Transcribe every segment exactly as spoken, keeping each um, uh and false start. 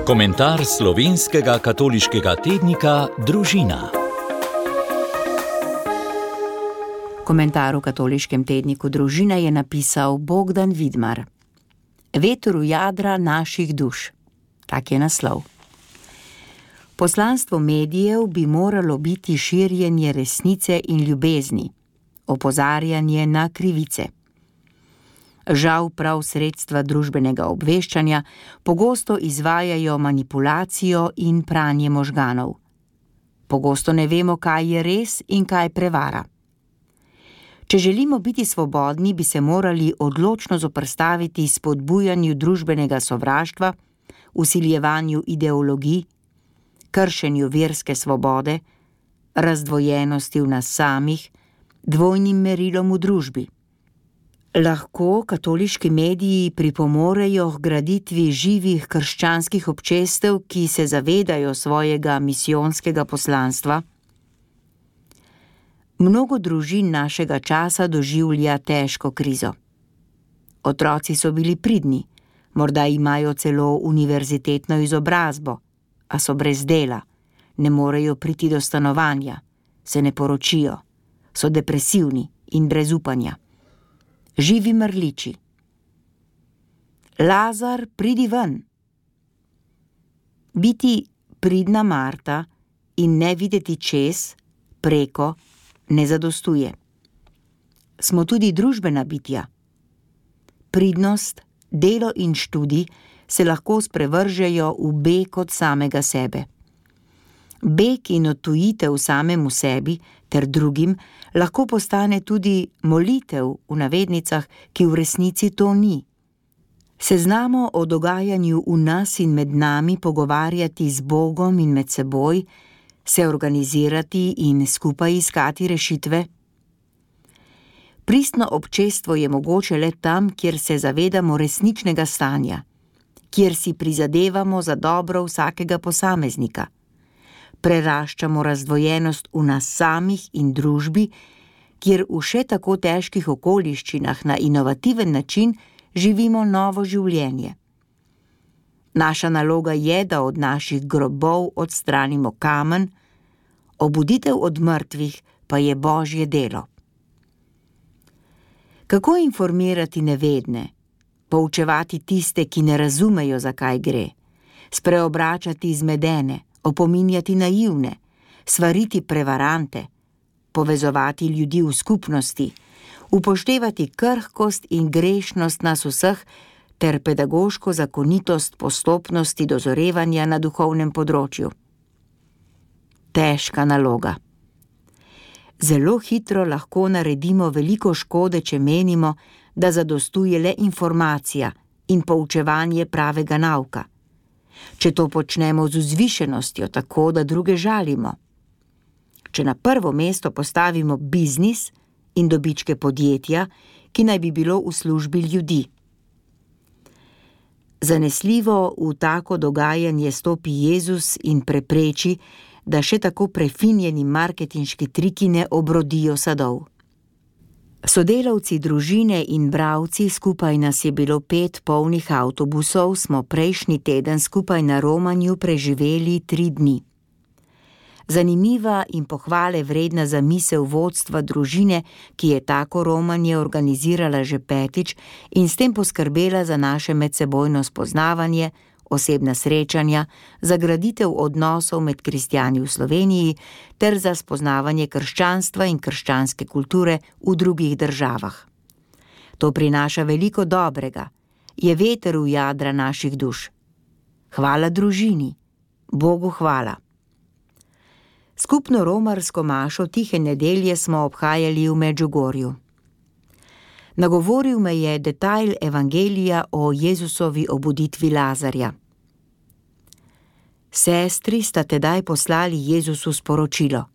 Komentar slovenskega katoliškega tednika Družina. Komentar v katoliškem tedniku Družina je napisal Bogdan Vidmar. Veter v jadra naših duš. Tak je naslov. Poslanstvo medijev bi moralo biti širjenje resnice in ljubezni, opozarjanje na krivice. Žal prav sredstva družbenega obveščanja pogosto izvajajo manipulacijo in pranje možganov. Pogosto ne vemo, kaj je res in kaj prevara. Če želimo biti svobodni, bi se morali odločno zoperstaviti spodbujanju družbenega sovraštva, vsiljevanju ideologij, kršenju verske svobode, razdvojenosti v nas samih, dvojnim merilom v družbi. Lahko katoliški mediji pripomorejo k graditvi živih krščanskih občestev, ki se zavedajo svojega misijonskega poslanstva. Mnogo družin našega časa doživlja težko krizo. Otroci so bili pridni, morda imajo celo univerzitetno izobrazbo, a so brez dela, ne morejo priti do stanovanja, se ne poročijo, so depresivni in brez upanja. Živi mrliči. Lazar, pridi ven. Biti pridna Marta in ne videti čez, preko, ne zadostuje. Smo tudi družbena bitja. Pridnost, delo in študij se lahko sprevržejo v beg od samega sebe. Beg in odtujitev samemu sebi ter drugim lahko postane tudi molitev v navednicah, ki v resnici to ni. Se znamo o dogajanju v nas in med nami pogovarjati z Bogom in med seboj, se organizirati in skupaj iskati rešitve? Pristno občestvo je mogoče le tam, kjer se zavedamo resničnega stanja, kjer si prizadevamo za dobro vsakega posameznika. Preraščamo razdvojenost v nas samih in družbi, kjer v še tako težkih okoliščinah na inovativen način živimo novo življenje. Naša naloga je, da od naših grobov odstranimo kamen, obuditev od mrtvih pa je Božje delo. Kako informirati nevedne, poučevati tiste, ki ne razumejo, zakaj gre, spreobračati zmedene, opominjati naivne, svariti prevarante, povezovati ljudi v skupnosti, upoštevati krhkost in grešnost nas vseh ter pedagoško zakonitost postopnosti dozorevanja na duhovnem področju. Težka naloga. Zelo hitro lahko naredimo veliko škode, če menimo, da zadostuje le informacija in poučevanje pravega nauka. Če to počnemo z vzvišenostjo, tako da druge žalimo. Če na prvo mesto postavimo biznis in dobičke podjetja, ki naj bi bilo v službi ljudi. Zanesljivo v tako dogajanje stopi Jezus in prepreči, da še tako prefinjeni marketinški triki ne obrodijo sadov. Sodelavci družine in bralci, skupaj nas je bilo pet polnih avtobusov, smo prejšnji teden skupaj na romanju preživeli tri dni. Zanimiva in pohvale vredna zamisel vodstva družine, ki je tako romanje organizirala že petič in s tem poskrbela za naše medsebojno spoznavanje, osebna srečanja, za graditev odnosov med kristjani v Sloveniji ter za spoznavanje krščanstva in krščanske kulture v drugih državah. To prinaša veliko dobrega, je veter v jadra naših duš. Hvala družini, Bogu hvala. Skupno romarsko mašo tihe nedelje smo obhajali v Medžugorju. Nagovoril me je detajl evangelija o Jezusovi obuditvi Lazarja. Sestri sta tedaj poslali Jezusu sporočilo.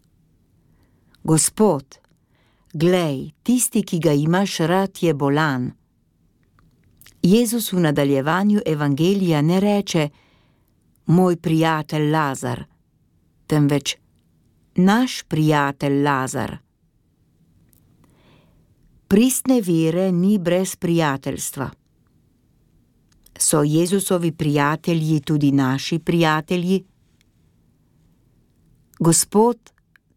Gospod, glej, tisti, ki ga imaš rad, je bolan. Jezus v nadaljevanju evangelija ne reče, moj prijatelj Lazar, temveč naš prijatelj Lazar. Pristne vere ni brez prijateljstva. So Jezusovi prijatelji tudi naši prijatelji? Gospod,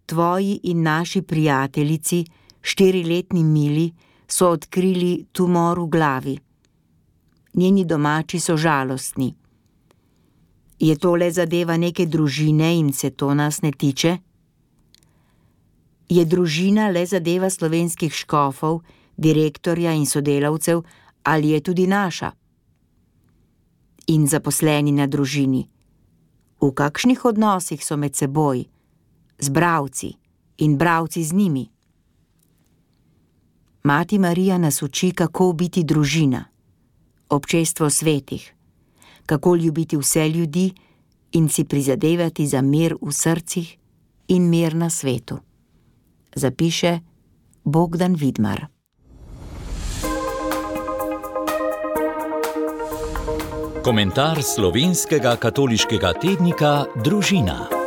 tvoji in naši prijateljici, štiriletni Mili, so odkrili tumor v glavi. Njeni domači so žalostni. Je to le zadeva neke družine in se to nas ne tiče? Je družina le zadeva slovenskih škofov, direktorja in sodelavcev, ali je tudi naša? In zaposleni na družini. V kakšnih odnosih so med seboj, z bralci in bralci z njimi? Mati Marija nas uči, kako biti družina, občestvo svetih, kako ljubiti vse ljudi in si prizadevati za mir v srcih in mir na svetu. Zapiše Bogdan Vidmar. Komentar slovenskega katoliškega tednika Družina.